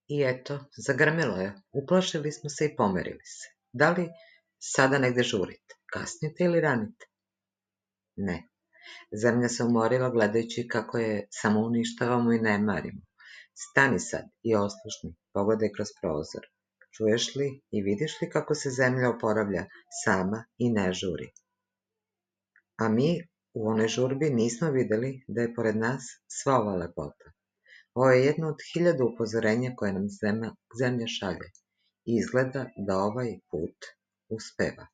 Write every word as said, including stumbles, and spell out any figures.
I eto, zagrmelo je. Uplašili smo se i pomerili se. Da li sada negde žurite? Kasnite ili ranite? Ne. Zemlja se umorila gledajući kako je samo uništavamo i ne marimo. Stani sad i oslušni, pogledaj kroz prozor. Čuješ li i vidiš li kako se zemlja oporavlja sama i ne žuri? A mi u onoj žurbi nismo videli da je pored nas sva ova lepota. Ovo je jedno od hiljadu upozorenja koje nam zemlja, zemlja šalje i izgleda da ovaj put uspeva.